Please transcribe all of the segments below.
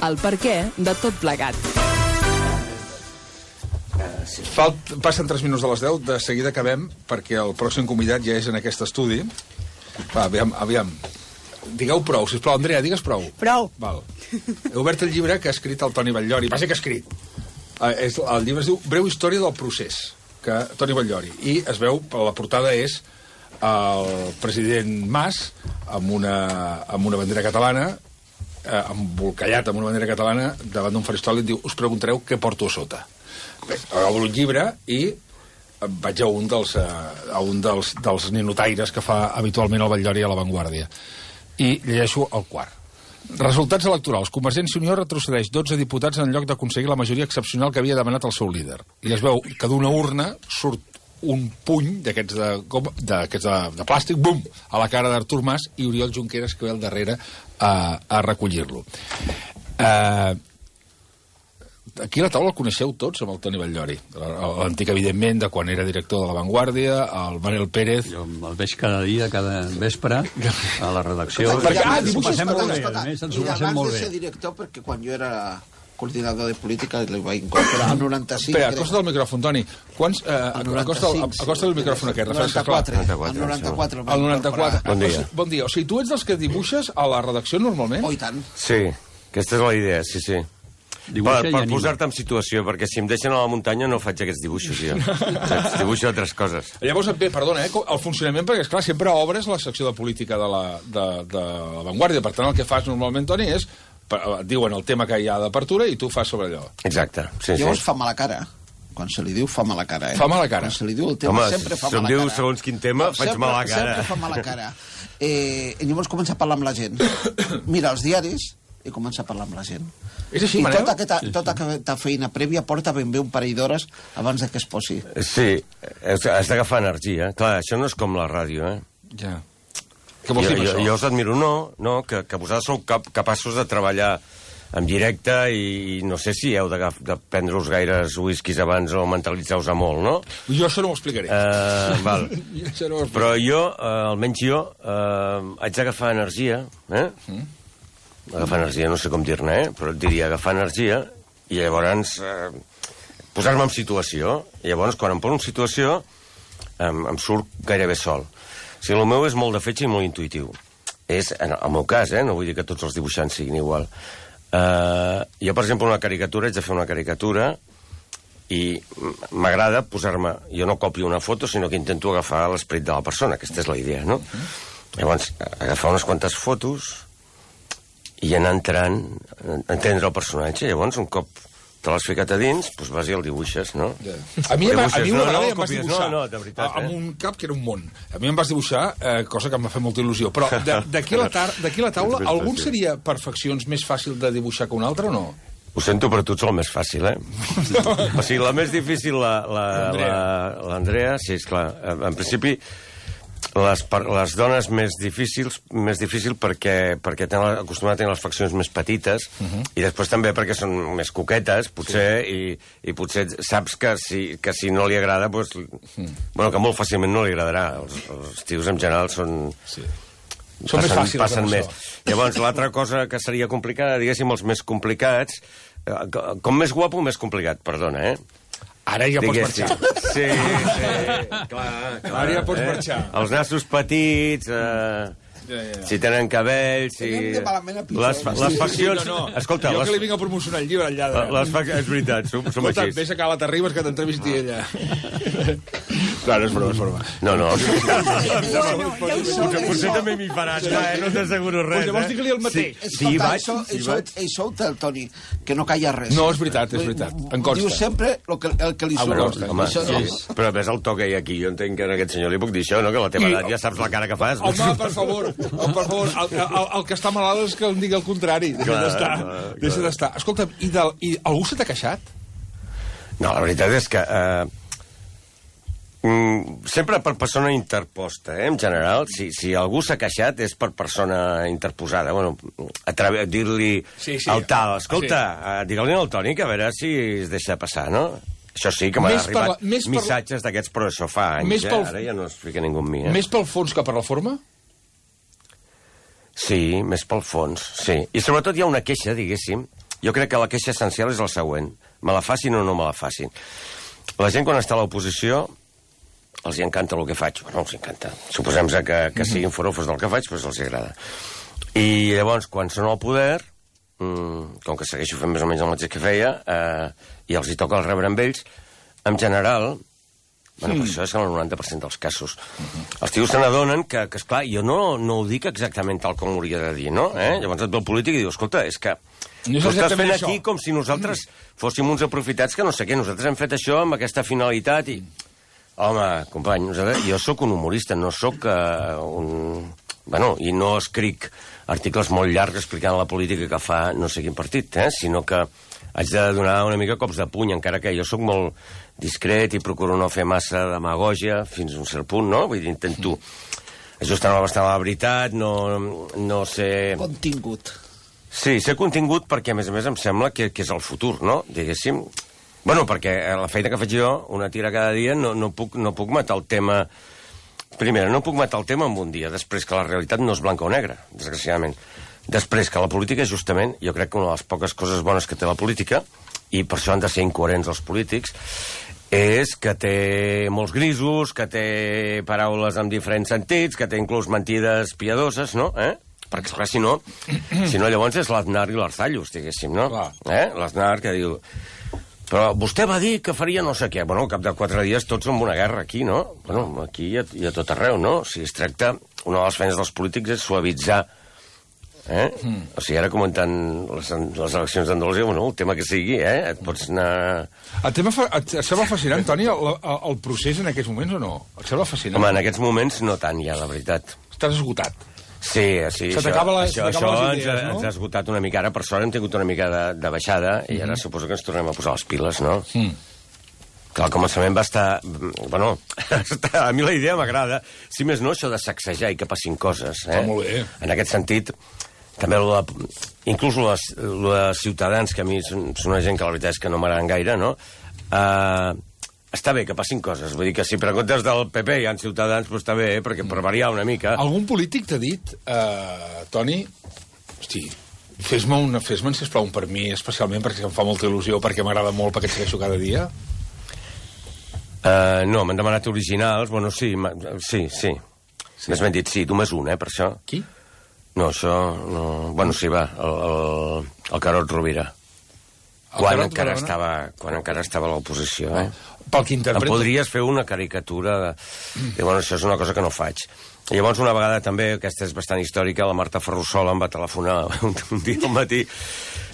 El perquè de tot plegat. Passen 3 minuts de les 10, de seguida acabem, perquè el pròxim convidat ja és en aquest estudi. Va, aviam. Digueu prou, sisplau. Andrea, digues prou. Prou. Val. He obert el llibre que ha escrit el Toni Batllori. Va ser que ha escrit. El llibre es diu Breu història del procés, que Toni Batllori. I es veu, la portada és el president Mas amb una bandera catalana, embolcallat amb una bandera catalana, davant d'un faristol i diu, us preguntareu què porto a sota. Bé, obro el llibre i vaig a un dels ninotaires que fa habitualment el Batllori a La Vanguardia. I llegeixo el quart. Resultats electorals. Convergència i Unió retrocedeix 12 diputats en lloc d'aconseguir la majoria excepcional que havia demanat el seu líder. I es veu que d'una urna surt un puny d'aquests de plàstic, bum, a la cara d'Artur Mas i Oriol Junqueras, que ve al darrere a recollir-lo. Aquí a la taula el coneixeu tots, amb el Toni Batllori. L'antic, evidentment, de quan era director de La Vanguardia, el Manel Pérez. Jo el veig cada dia, cada vespre, a la redacció. Ens ho passem molt bé. I abans de ser director, perquè quan jo era coordinador de política li vaig incorporar al 95. Espera, acosta del micròfon, Toni. Acosta del micròfon aquest. 94. Al 94. Al 94. Bon dia. Bon dia. O sigui, tu ets dels que dibuixes a la redacció normalment? Oh, i tant. Sí, aquesta és la idea, sí. Per posar-te en situació, perquè si em deixen a la muntanya no faig aquests dibuixos, jo. Dibuixo altres coses. Llavors, perdona, el funcionament, perquè, esclar, sempre obres la secció de política de la Vanguardia. Per tant, el que fas normalment, Toni, és et diuen el tema que hi ha d'apertura i tu fas sobre allò. Exacte, sí. Llavors fa mala cara. Quan se li diu, fa mala cara, Fa mala cara. Quan se li diu el tema, sempre fa mala cara. Si em diu segons quin tema, faig mala cara. Sempre fa mala cara. I llavors comença a parlar amb la gent. Mira els diaris i comença a parlar amb la gent. És així, I Manel? tota aquesta feina prèvia porta ben bé un parell d'hores abans que es posi. Sí, has d'agafar energia. Clar, això no és com la ràdio, Ja. Què vols dir amb això? Jo us admiro, que vosaltres sou capaços de treballar en directe i no sé si heu de prendre-us gaires whiskies abans o mentalitzar-vos a molt, no? Jo això no ho explicaré. Val. Però jo, almenys jo, haig d'agafar energia, agafar energia, no sé com dir-ne, però et diria agafar energia i llavors posar-me en situació. I llavors, quan em poso en situació, em surt gairebé sol. O sigui, el meu és molt de fetge i molt intuïtiu. És, en el meu cas, no vull dir que tots els dibuixants siguin igual. Jo, per exemple, una caricatura, haig de fer una caricatura i m'agrada posar-me... Jo no copio una foto, sinó que intento agafar l'esperit de la persona. Aquesta és la idea, no? Llavors, agafar unes quantes fotos i anar entrant, entendre el personatge. Llavors, un cop te l'has ficat a dins, doncs vas i el dibuixes, no? A mi una vegada ja em vas copies, dibuixar de veritat, amb un cap que era un món. A mi em vas dibuixar, cosa que em va fer molta il·lusió. Però d'aquí a la taula, algun seria perfeccions més fàcil de dibuixar que un altre o no? Ho sento, però tu ets el més fàcil, O sigui, la més difícil, l'Andrea, sí, esclar. En principi, les dones més difícil perquè tenen acostumat a tenir les faccions més petites i després també perquè són més coquetes, potser, i potser saps que si no li agrada, doncs, que molt fàcilment no li agradarà. Els tios en general són més fàcils. Passen més. Llavors, l'altra cosa que seria complicada, diguéssim, els més complicats, com més guapo, més complicat, perdona, Ara ja pots marxar. Sí, clar. Ara ja pots marxar. Els nassos petits, si tenen cabells, les faccions... Escolta, jo que li vinc a promocionar el llibre al lladre. És veritat, som així. Vés a Cala Terribas que t'entrevisti ella. Clar, no és broma. No. Potser també m'hi faran, no t'asseguro res. Llavors digue-li el mateix. Sí, vaig. Ell sou del Toni, que no calla res. No, és veritat. Em consta. Diu sempre el que li surt. Però ves el to que hi ha aquí. Jo entenc que a aquest senyor li puc dir això, no? Que a la teva edat ja saps la cara que fas. Home, per favor, el que està malalt és que em digui el contrari. Deixa d'estar. Escolta'm, i algú se t'ha queixat? No, la veritat és que sempre per persona interposta, en general. Si algú s'ha queixat és per persona interposada. Bueno, dir-li al tal, escolta, digue-li al Toni que a veure si es deixa passar, no? Això sí, que m'han arribat missatges d'aquests, però això fa anys, ara ja no es fica ningú amb mi. Més pel fons que per la forma? Sí, més pel fons, sí. I sobretot hi ha una queixa, diguéssim, Jo crec que la queixa essencial és la següent. Me la facin o no me la facin. La gent, quan està a l'oposició, els encanta el que faig. Bueno, els encanta. Suposem que siguin forofos del que faig, doncs els agrada. I llavors, quan són al poder, com que segueixo fent més o menys el mateix que feia, i els hi toca el rebre amb ells, en general, bueno, per això és el 90% dels casos. Els tios se n'adonen que, esclar, jo no ho dic exactament tal com ho hauria de dir, no? Llavors et ve el polític i diu, escolta, és que tu estàs fent aquí com si nosaltres fóssim uns aprofitats que no sé què, nosaltres hem fet això amb aquesta finalitat i... Home, company, jo sóc un humorista, no sóc un... Bueno, i no escric articles molt llargs explicant la política que fa no sé quin partit, sinó que haig de donar una mica cops de puny, encara que jo sóc molt discret i procuro no fer massa demagògia fins a un cert punt, no? Vull dir, intento ajustar-me bastant a la veritat, no ser... Contingut. Sí, ser contingut perquè, a més, em sembla que és el futur, no? Diguéssim... Bueno, perquè la feina que faig jo, una tira cada dia, no puc matar el tema... Primera, no puc matar el tema en un dia, després que la realitat no és blanca o negra, desgraciadament. Després que la política, justament, jo crec que una de les poques coses bones que té la política, i per això han de ser incoherents els polítics, és que té molts grisos, que té paraules amb diferents sentits, que té inclús mentides piadoses, no? Perquè, esclar, si no, llavors és l'Aznar i l'Arzallus, diguéssim, no? L'Aznar que diu... Però vostè va dir que faria no sé què. Bueno, al cap de 4 dies tots som una guerra aquí, no? Bueno, aquí i a tot arreu, no? O sigui, es tracta... Una de les feines dels polítics és suavitzar. O sigui, ara comentant les eleccions d'Andalusia, bueno, el tema que sigui, et pots anar... Et sembla fascinant, Toni, el procés en aquests moments o no? Et sembla fascinant? Home, en aquests moments no tant, ja, la veritat. Estàs esgotat. Sí, això ens ha esgotat una mica. Ara, per sort, hem tingut una mica de baixada i ara suposo que ens tornem a posar les piles, no? Que al començament va estar... Bueno, a mi la idea m'agrada. Si més no, això de sacsejar i que passin coses. Molt bé. En aquest sentit, també inclús els ciutadans, que a mi són una gent que la veritat és que no m'agraden gaire, no? Està bé que passin coses. Vull dir que si preguntes del PP hi ha ciutadans, doncs està bé, perquè per variar una mica... Algun polític t'ha dit, Toni, hosti, fes-me'n, sisplau, un per mi, especialment perquè em fa molta il·lusió, perquè m'agrada molt, perquè et segueixo cada dia? No, m'han demanat originals, bueno, sí. Més ben dit, sí, només un, per això. Qui? No, això... No... Bueno, sí, va, el Carod Rovira. Quan encara estava a l'oposició, Pel que interpreto... Em podries fer una caricatura i, bueno, això és una cosa que no faig. I llavors, una vegada també, aquesta és bastant històrica, la Marta Ferrusola em va telefonar un dia al matí.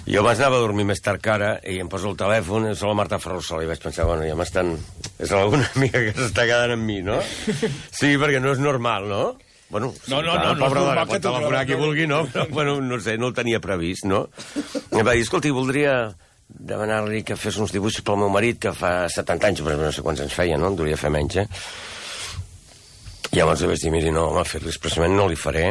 Jo abans anava a dormir més tard que ara i em poso el telèfon, és la Marta Ferrusola, i vaig pensar, bueno, ja m'estan... És alguna amiga que s'està quedant amb mi, no? Sí, perquè no és normal, no? Bueno, no, pobre dona, pot telefonar qui vulgui, no? Però, bueno, no sé, no el tenia previst, no? I em va dir, escolti, voldria demanar-li que fes uns dibuixos pel meu marit, que fa 70 anys, però no sé quants anys feia, no? En duria fer menys, I llavors li vaig dir, miri, no, home, fer-li expressament no li faré.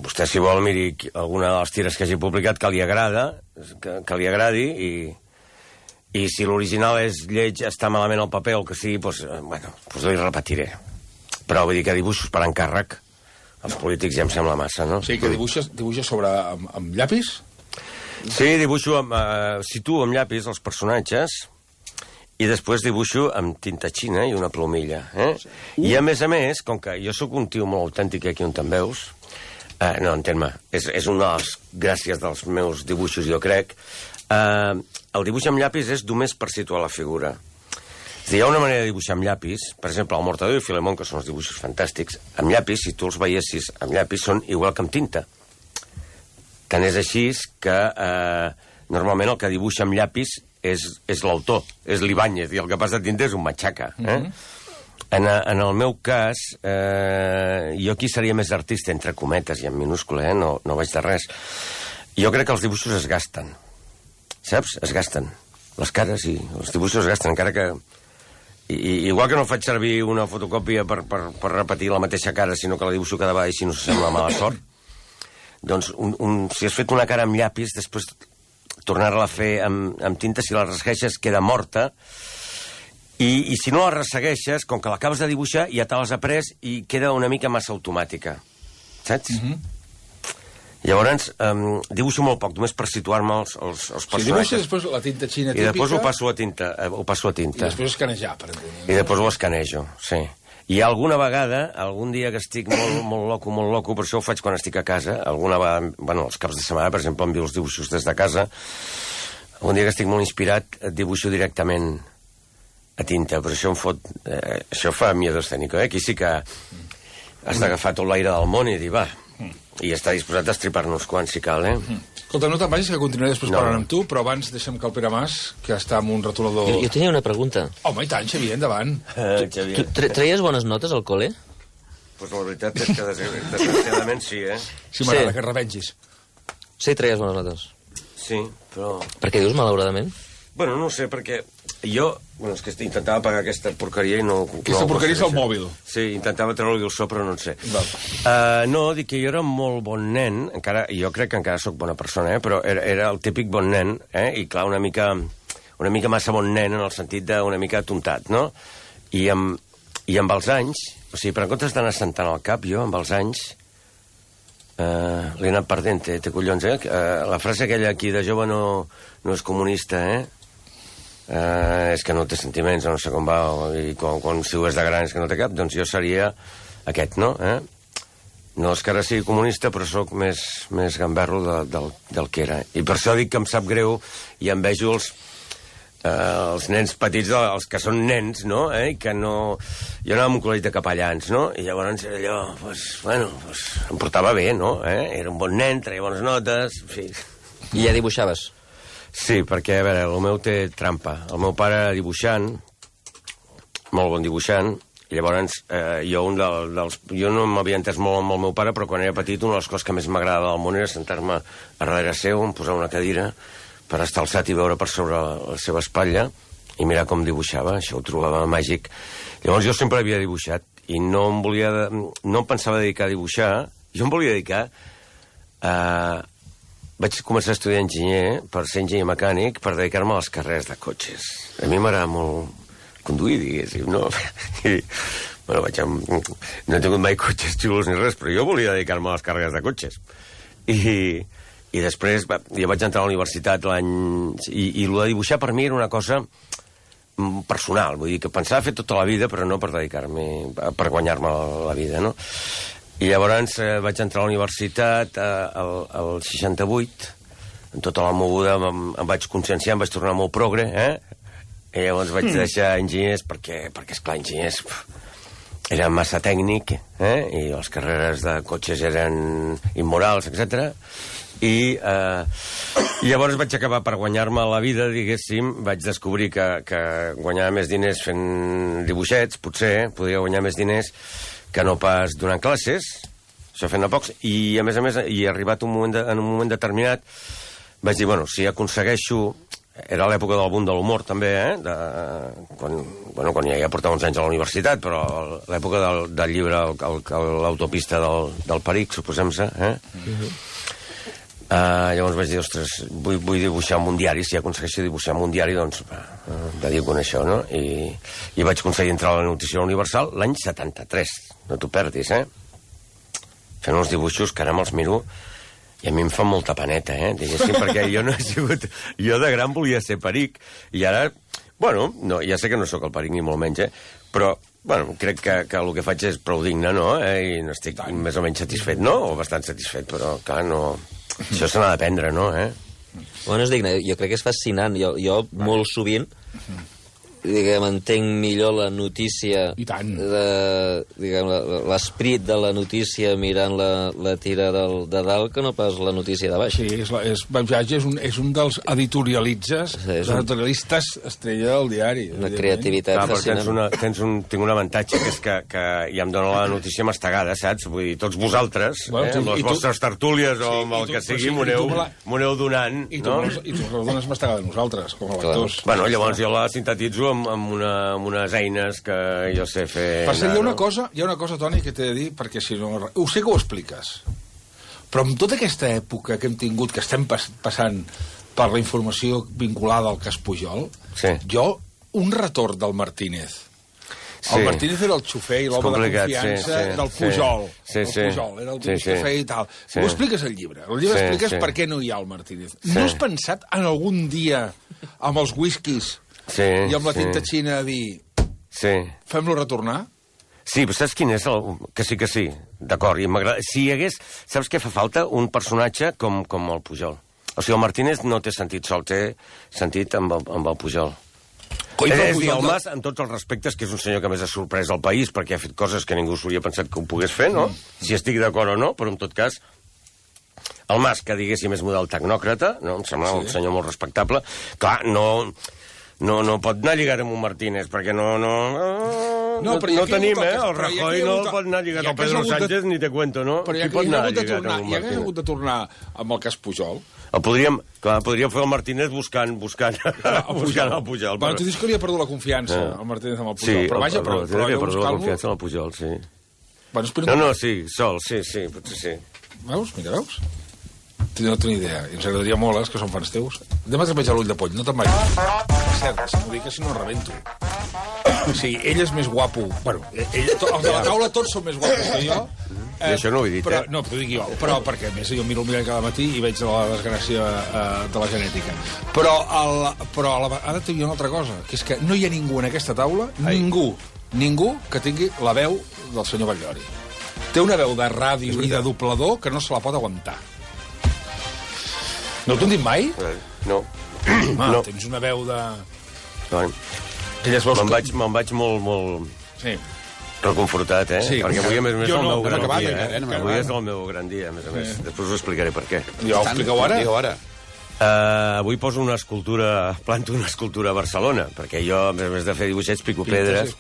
Vostè, si vol, miri alguna de les tires que hagi publicat que li agrada, que li agradi, i si l'original és lleig, està malament al paper o el que sigui, doncs, bueno, li repetiré. Però vull dir que dibuixos per encàrrec, els polítics ja em sembla massa, no? Sí, que dibuixes sobre amb llapis? Sí, dibuixo situo amb llapis els personatges i després dibuixo amb tinta xina i una plomilla. I a més, com que jo sóc un tio molt autèntic aquí on te'n veus, no, entén-me, és una de les gràcies dels meus dibuixos, jo crec, el dibuix amb llapis és només per situar la figura. És a dir, hi ha una manera de dibuixar amb llapis, per exemple, el Mortadelo i Filemón, que són els dibuixos fantàstics, amb llapis, si tu els veiessis amb llapis, són igual que amb tinta. Tant és així que normalment el que dibuixa amb llapis és l'autor, és l'Ibáñez, i el que passa a tinta és un matxaca. En el meu cas, jo aquí seria més artista, entre cometes i en minúscula, no vaig de res. Jo crec que els dibuixos es gasten, saps? Es gasten. Les cares i els dibuixos es gasten, encara que... Igual que no faig servir una fotocòpia per repetir la mateixa cara, sinó que la dibuixo cada vegada i si no s'assembla mala sort. Doncs, si has fet una cara amb llapis, després tornar-la a fer amb tinta, si la ressegueixes, queda morta. I si no la ressegueixes, com que l'acabes de dibuixar, ja te l'has après i queda una mica massa automàtica. Saps? Llavors, dibuixo molt poc, només per situar-me els personatges. Si dibuixes després la tinta xina típica... I després ho passo a tinta. I després escanejar, per entendre. I després ho escanejo, sí. I alguna vegada, algun dia que estic molt loco, per això ho faig quan estic a casa, alguna vegada, bueno, els caps de setmana, per exemple, envio els dibuixos des de casa, un dia que estic molt inspirat, dibuixo directament a tinta, però això em fot... això fa miedo escènico, Aquí sí que has d'agafar tot l'aire del món i dir, va... I està disposat a estripar-nos quan, si cal, Escolta, no te'n vagis, que continuaré després parlant amb tu, però abans deixem que el Pere Mas, que està amb un retolador... Jo tenia una pregunta. Home, i tant, Xavier, endavant. Tu treies bones notes al col·le? Pues la veritat és que desgraciadament sí, Sí, m'agrada, que rebengis. Sí, treies bones notes. Sí, però... Per què dius malauradament? Bueno, no sé, perquè jo... Bueno, és que intentava pagar aquesta porqueria i no... Aquesta porqueria és el mòbil. Sí, intentava treure-li el so, però no en sé. No, dic que jo era molt bon nen, encara, jo crec que encara sóc bona persona, però era el típic bon nen, i clar, una mica massa bon nen en el sentit d'una mica tontat, no? I amb els anys, o sigui, per en comptes d'anar sentant al cap, jo, amb els anys, l'he anat perdent, té collons, la frase aquella aquí de jove no és comunista, és que no té sentiments, no sé com va, i quan si ho és de gran és que no té cap, doncs jo seria aquest, no? No és que ara sigui comunista, però sóc més gamberro del que era. I per això dic que em sap greu i em vejo els nens petits, els que són nens, no? I que no... Jo anava amb un col·legi de capellans, no? I llavors era allò, em portava bé, no? Era un bon nen, treia bones notes, en fi... I ja dibuixaves? Sí, perquè, a veure, el meu té trampa. El meu pare dibuixant, molt bon dibuixant, i llavors jo no m'havia entès molt amb el meu pare, però quan era petit una de les coses que més m'agradava del món era sentar-me a darrere seu, em posar una cadira per estar alçat i veure per sobre la seva espatlla i mirar com dibuixava. Això ho trobava màgic. Llavors jo sempre havia dibuixat i no em pensava dedicar a dibuixar, jo em volia dedicar a... Vaig començar a estudiar enginyer per ser enginyer mecànic per dedicar-me a les carreres de cotxes. A mi m'agrada molt conduir, diguéssim, no? I, bueno, no he tingut mai cotxes xulos ni res, però jo volia dedicar-me a les carreres de cotxes. I després jo vaig entrar a la universitat l'any... I el de dibuixar per mi era una cosa personal, vull dir que pensava fer tota la vida, però no per dedicar-me, per guanyar-me la vida, no? I llavors vaig entrar a la universitat al 68, amb tota la moguda em vaig conscienciar, em vaig tornar molt progre, i llavors vaig deixar enginyers perquè esclar, enginyers era massa tècnic, i les carreres de cotxes eren immorals, etc. I llavors vaig acabar per guanyar-me la vida, diguéssim, vaig descobrir que guanyava més diners fent dibuixets, potser, podria guanyar més diners que no pas donant classes, això fent a pocs, i a més, i arribat en un moment determinat, vaig dir, bueno, si aconsegueixo... Era l'època del boom de l'humor, també, quan ja portava uns anys a la universitat, però l'època del llibre, l'autopista del Peric, suposem-se, llavors vaig dir, ostres, vull dibuixar en un diari, si aconsegueixo dibuixar en un diari, doncs dedico a això, no? I vaig aconseguir entrar a la Notícia Universal l'any 73, no t'ho perdis, fent uns dibuixos que ara me'ls miro i a mi em fa molta paneta, diguéssim, perquè jo no he sigut... Jo de gran volia ser Peric, i ara, bueno, no, ja sé que no sóc el Peric ni molt menys, però, bueno, crec que el que faig és prou digne, no? I n'estic més o menys satisfet, no? O bastant satisfet, però, clar, no... Això se n'ha d'aprendre, no, Bueno, és digne. Jo crec que és fascinant. Jo molt sovint, diguem, entenc millor la notícia... I tant. Diguem, l'esprit de la notícia mirant la tira de dalt que no pas la notícia de baix. Sí, és un dels editorialitzes, editorialistes estrella del diari. Una creativitat fascinant. Tinc un avantatge, que és que ja em dóna la notícia mastegada, saps? Vull dir, tots vosaltres, amb les vostres tertúlies o amb el que sigui, m'ho aneu donant, no? I tu la dones mastegada a nosaltres, com a lectors. Bueno, llavors jo la sintetitzo amb unes eines que jo sé fer... Per cert, hi ha una cosa, Toni, que t'he de dir, perquè si no... Ho sé que ho expliques, però amb tota aquesta època que hem tingut, que estem passant per la informació vinculada al cas Pujol, jo, un retorn del Martínez El Martínez era el xofer i l'home de confiança del Pujol. Sí. Pujol, era el xofer i tal. Ho expliques al llibre. El llibre expliques per què no hi ha el Martínez. No has pensat en algun dia, amb els whiskies i amb la tinta xina, a dir fem-lo retornar? Sí, però saps quin és? Que sí. D'acord, i m'agrada. Si hi hagués... Saps què fa falta? Un personatge com el Pujol. O sigui, el Martínez no té sentit sol, té sentit amb el Pujol. És dir, el Mas, en tots els respectes, que és un senyor que més ha sorprès el país, perquè ha fet coses que ningú s'hauria pensat que ho pogués fer, no? Si estic d'acord o no, però en tot cas... El Mas, que diguéssim és model tecnòcrata, no? Em sembla un senyor molt respectable. Clar, no pot anar lligat amb un Martínez, perquè no tenim, el Rajoy no pot anar lligat amb Pedro Sánchez, ni te cuento, no? Però ja que hi hagués hagut de tornar amb el cas Pujol... Podríem fer el Martínez buscant el Pujol. Bueno, tu dius que li ha perdut la confiança, el Martínez amb el Pujol. Sí, però vaja, però li ha perdut la confiança amb el Pujol, sí. No, sí, sol, sí, potser sí. Veus? Mira, veus? No tinc idea. I ens agradaria molt, que són fans teus. Anem a treballar l'ull de poll, no te'n vagis. És cert, si m'ho dic, si no rebento. O sigui, ell és més guapo. Bueno, els de la taula tots són més guapos que jo. I això no ho he dit, No, però ho dic jo. Però perquè, a més, jo miro el mirall cada matí i veig la desgràcia de la genètica. Però ara t'he dit una altra cosa, que és que no hi ha ningú en aquesta taula, ningú que tingui la veu del senyor Batllori. Té una veu de ràdio i de doblador que no se la pot aguantar. No t'ho han dit mai? No. Tens una veu de... Me'n vaig molt... Sí. Reconfortat, Sí. Perquè avui, a més, és el meu gran dia. No Avui és el meu gran dia, a més a més. Després us explicaré per què. Ja ho expliqueu ara? Avui poso planto una escultura a Barcelona, perquè jo, a més de fer dibuixets, pico pedres.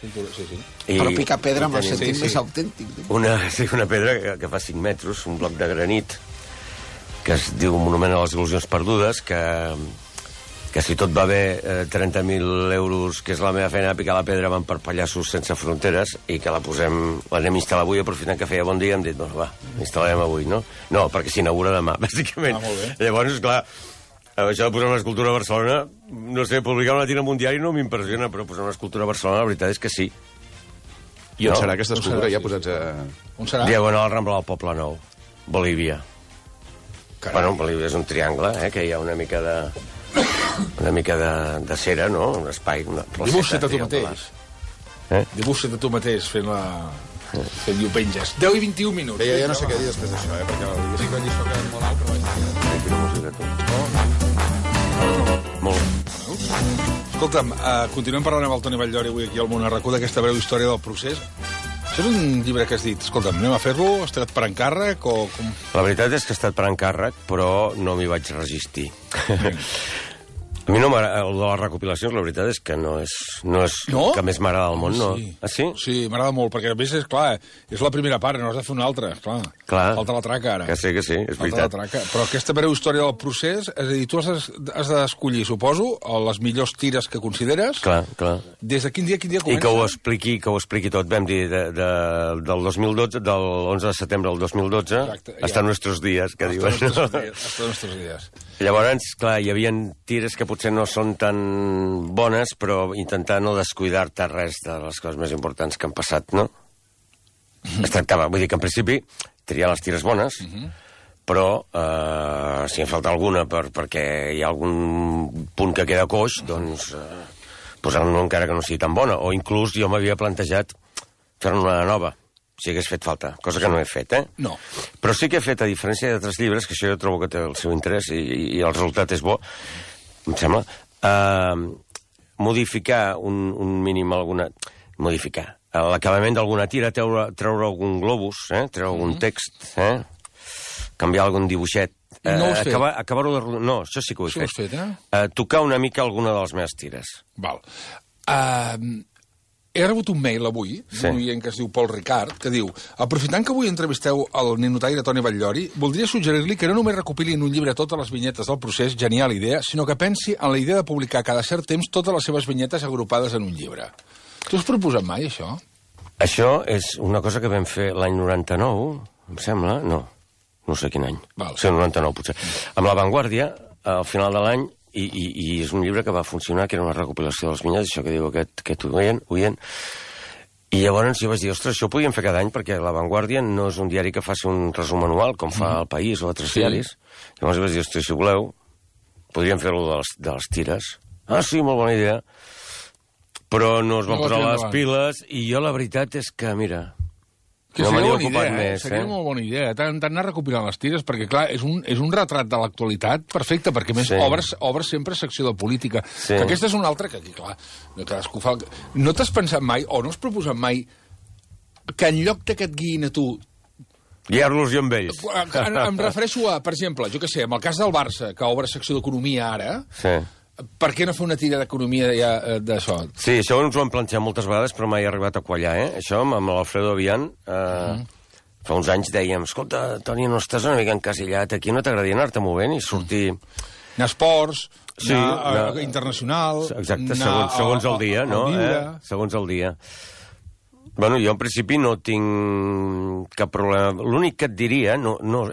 Però picar pedra amb el sentit més autèntic. Una pedra que fa 5 metres, un bloc de granit, que es diu Monument a les Il·lusions Perdudes, que si tot va bé, 30.000 euros, que és la meva feina de picar la pedra, van per Pallassos Sense Fronteres, i que l'anem a instal·lar avui, aprofitant que feia bon dia, hem dit, doncs va, instal·larem avui, no? No, perquè s'inaugura demà, bàsicament. Llavors, clar, això de posar una escultura a Barcelona, no sé, publicar una tira en un diari no m'impressiona, però posar una escultura a Barcelona, la veritat és que sí. I on serà aquesta escultura? Ja posats a... On serà? Diagonal al Rambla del Poble Nou, Bolívia. Bueno, Bolívia és un triangle, que hi ha una mica de cera, no? Un espai, una placeta. Dibuixa't a tu mateix. Dibuixa't a tu mateix fent diumenges. 10 i 21 minuts. Bé, ja no sé què dir després d'això, perquè la lliçó queda molt alt, però vaig... Molt. Escolta'm, continuem parlant amb el Toni Batllori avui aquí al Món RQ d'aquesta breu història del procés. Això és un llibre que has dit, escolta'm, anem a fer-lo, ha estat per encàrrec o... La veritat és que ha estat per encàrrec, però no m'hi vaig resistir. A mi no m'agrada, el de les recopilacions, la veritat és que no és que més m'agrada al món, no? Ah, sí? Sí, m'agrada molt, perquè a més és clar, és la primera part, no has de fer una altra, clar. Falta la traca, ara. Que sí, és veritat. Però aquesta breu història del procés, és a dir, tu has d'escollir, suposo, les millors tires que consideres. Clar. Des de quin dia comença? I que ho expliqui tot, vam dir, del 2012, del 11 de setembre del 2012, hasta nuestros días, que diuen. Hasta nuestros días. Llavors, clar, hi havia tires que potser no són tan bones, però intentar no descuidar-te res de les coses més importants que han passat, no? Es tractava, vull dir que en principi triar les tires bones, però si en falta alguna perquè hi ha algun punt que queda coix, doncs posar-ne encara que no sigui tan bona, o inclús jo m'havia plantejat fer-ne una nova, si hagués fet falta, cosa que no he fet, No. Però sí que he fet, a diferència d'altres llibres, que això jo trobo que té el seu interès i el resultat és bo, em sembla, modificar un mínim alguna... Modificar. L'acabament d'alguna tira, treure algun globus, treure algun text, canviar algun dibuixet. No ho has fet? Acabar-ho de... No, això sí que ho he fet. Això ho has fet, Tocar una mica alguna de les meves tires. Val. He rebut un mail avui, d'un oient que es diu Pol Ricard, que diu: aprofitant que avui entrevisteu el ninotaire Toni Batllori, voldria suggerir-li que no només recopili en un llibre totes les vinyetes del procés, genial idea, sinó que pensi en la idea de publicar cada cert temps totes les seves vinyetes agrupades en un llibre. Tu has proposat mai, això? Això és una cosa que vam fer l'any 99, em sembla, no sé quin any. Sí, el 99, potser. Amb La Vanguardia, al final de l'any, i és un llibre que va funcionar, que era una recopilació de les vinyetes, això que diu aquest oient, I llavors jo vaig dir, ostres, això ho podíem fer cada any, perquè La Vanguardia no és un diari que faci un resum anual, com fa El País o altres diaris. Llavors vaig dir, ostres, si voleu, podríem fer-lo de les tires. Ah, sí, molt bona idea. Però no es van posar les piles, i jo la veritat és que, mira... Que no seria bona idea, seria molt bona idea. T'han d'anar recopilant les tires, perquè, clar, és un retrat de l'actualitat perfecte, perquè, més, obres sempre secció de política. Que aquesta és una altra que aquí, clar, cadascú fa... No t'has pensat mai, o no has proposat mai, que en lloc que et guiïn a tu... Guiar-los jo amb ells. Em refereixo a, per exemple, jo què sé, amb el cas del Barça, que obre secció d'economia ara... Sí. Per què no fer una tira d'economia d'això? Sí, això ens ho hem planxat moltes vegades, però mai he arribat a quallar, Això, amb l'Alfredo Avian, fa uns anys dèiem, escolta, Toni, no estàs una mica encasillat aquí, no t'agradaria anar-te movent i sortir... Anar a esports, anar internacional... Exacte, segons el dia, no? Segons el dia. Bueno, jo en principi no tinc cap problema. L'únic que et diria,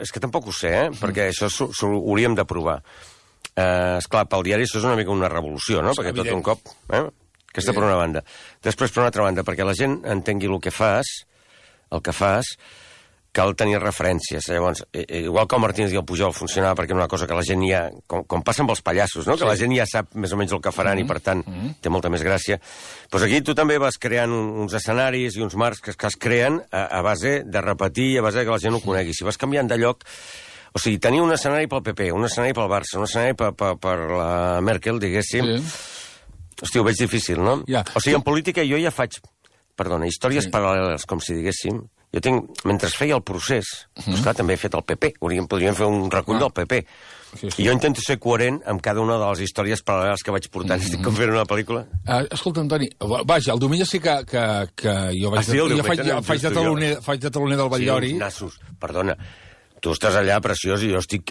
és que tampoc ho sé, perquè això ho hauríem de provar. Esclar, pel diari això és una mica una revolució, no? Perquè tot un cop... Aquesta per una banda. Després, per una altra banda, perquè la gent entengui el que fas, cal tenir referències. Llavors, igual que el Martínez i el Pujol funcionava perquè una cosa que la gent ja... Com passa amb els pallassos, no? Que la gent ja sap més o menys el que faran i, per tant, té molta més gràcia. Doncs aquí tu també vas creant uns escenaris i uns marcs que es creen a base de repetir i a base que la gent ho conegui. Si vas canviant de lloc... O sigui, tenir un escenari pel PP, un escenari pel Barça, un escenari per la Merkel, diguéssim... Hosti, ho veig difícil, no? O sigui, en política jo ja faig... Perdona, històries paral·leles, com si diguéssim. Jo tinc... Mentre feia el procés... Doncs clar, també he fet el PP. Podríem fer un recull del PP. I jo intento ser coherent amb cada una de les històries paral·leles que vaig portant. Estic com fent una pel·lícula. Escolta, Antoni, vaja, el diumenge sí que jo faig de taloner del Batllori. Nassos, perdona. Tu estàs allà preciós i jo estic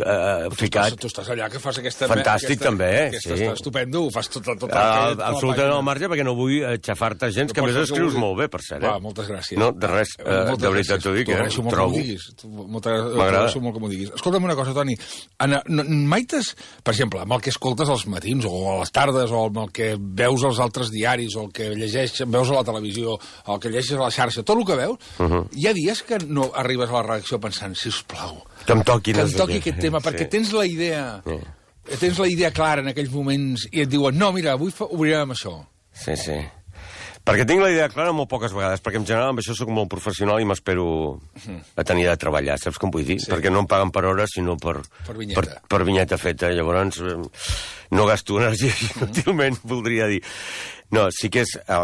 ficat... Tu estàs allà que fas aquesta... Fantàstic, també, sí. Està estupendo, ho fas tot absolutament al marge, perquè no vull xafar-te gens, que a més escrius molt bé, per cert. Moltes gràcies. No, de res, de veritat t'ho dic, trobo. M'agrada molt que m'ho diguis. Escolta'm una cosa, Toni, mai per exemple, amb el que escoltes als matins, o a les tardes, o amb el que veus als altres diaris, o el que veus a la televisió, o el que llegeixes a la xarxa, tot el que veus, hi ha dies que no arribes a la redacció pensant, sisplau, que em toqui aquest tema, perquè tens la idea clara en aquells moments i et diuen, no, mira, avui obrirem això. Sí. Perquè tinc la idea clara molt poques vegades, perquè en general amb això soc molt professional i m'espero a tenir de treballar, saps com vull dir? Perquè no em paguen per hores, sinó per vinyeta feta. Llavors no gasto energia inútilment, voldria dir. No, el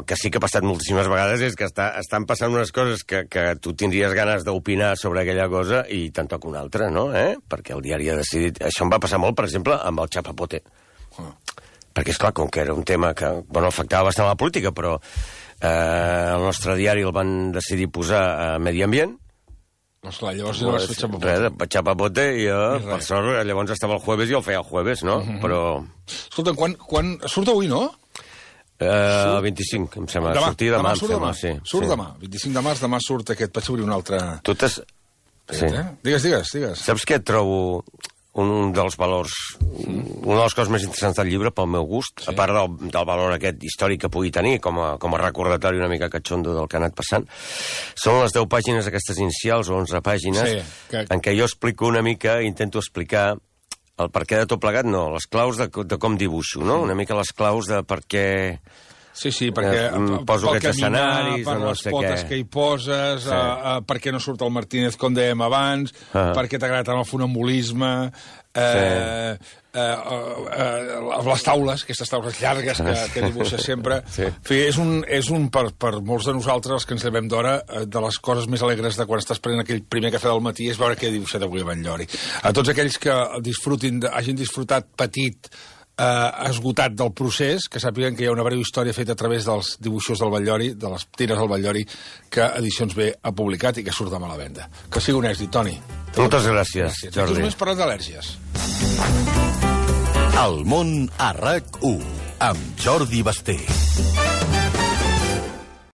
que sí que ha passat moltíssimes vegades és que estan passant unes coses que tu tindries ganes d'opinar sobre aquella cosa i te'n toca una altra, no? Perquè el diari ha decidit... Això em va passar molt, per exemple, amb el Chapapote. Perquè, esclar, com que era un tema que afectava bastant la política, però el nostre diari el van decidir posar a Medi Ambient. Doncs clar, llavors no vas fer Chapapote. Chapapote, i per sort, llavors estava el jueves i el feia el jueves, no? Però... Escolta, quan surt avui, no? El 25, em sembla. Sortir demà, em sembla, sí. Surt demà, 25 de març, demà surt aquest. Vaig obrir un altre... Sí. Digues. Saps què trobo un dels valors, una de les coses més interessants del llibre, pel meu gust, a part del valor aquest històric que pugui tenir, com a recordatori una mica catxondo del que ha anat passant, són les 10 pàgines aquestes inicials, o 11 pàgines, en què jo explico una mica, intento explicar el per què de tot plegat, no, les claus de com dibuixo, no? Una mica les claus de per què... Sí, perquè poso aquests escenaris, per les potes que hi poses, per què no surt el Martínez, com dèiem abans, per què t'agrada tant el funambulisme, les taules, aquestes taules llargues que dibuixes sempre. En fi, és un per molts de nosaltres, els que ens llevem d'hora, de les coses més alegres de quan estàs prenent aquell primer cafè del matí és veure què he dibuixat avui a Batllori. A tots aquells que hagin disfrutat petit, esgotat del procés, que sàpiguen que hi ha una breu història feta a través dels dibuixos del Batllori, de les tires del Batllori, que Edicions B ha publicat i que surt demà a la venda. Que sigui un èxit, Toni. Moltes gràcies, Jordi. Aquí només parlant d'al·lèrgies. El món a RAC1, amb Jordi Basté.